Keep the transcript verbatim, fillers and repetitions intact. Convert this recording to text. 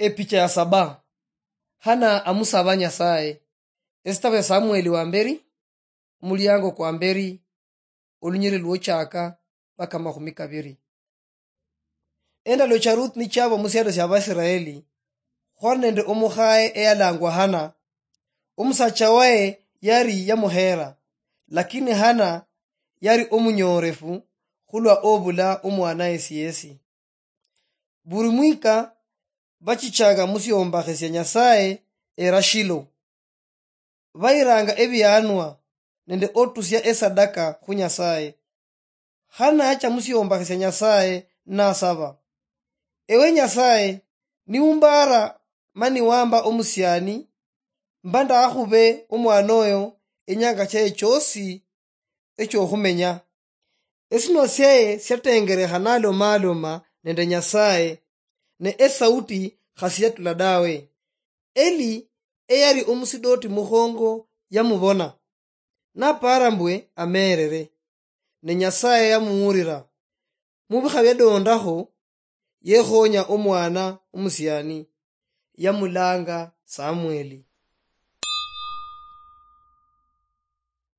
Epicha ya saba. Hana amusaba Nyasaye. Esitabu ya Samueli wa mberi, omuliango kwa mberi, olunyiri lwochaka mpaka mahumi kabiri. Endalo cha Ruth nichaba musialo sya Abaisiraeli, khwali nende omukhaye eyalangwa Hana. Omusacha waye yari yamuhera, lakini Hana yari omunyorefu khulwa obula omwana yesi yesi. Buri mwika bachichanga musiombakhe sia Nyasaye era Shilo. Bayiranga ebianwa nende otusia esadaka khu Nyasaye. Hana yacha musiombakhe sia Nyasaye nasaba, "Ewe Nyasaye, niumbara mani wamba omusiani, mba ndakhube omwana oyo enyanga chaye chosi echokhumenya." Esinwa syaye syatengerekha nalomaloma nende Nyasaye, ne esauti khasiyatula dawe. Eli eyali omusidoti mukhongo yamubona, napara mbwe amerere, ne Nyasaye yamuwulira. Mubikha byadondakho, yekhonya omwana omusiani, yamulanga Samueli.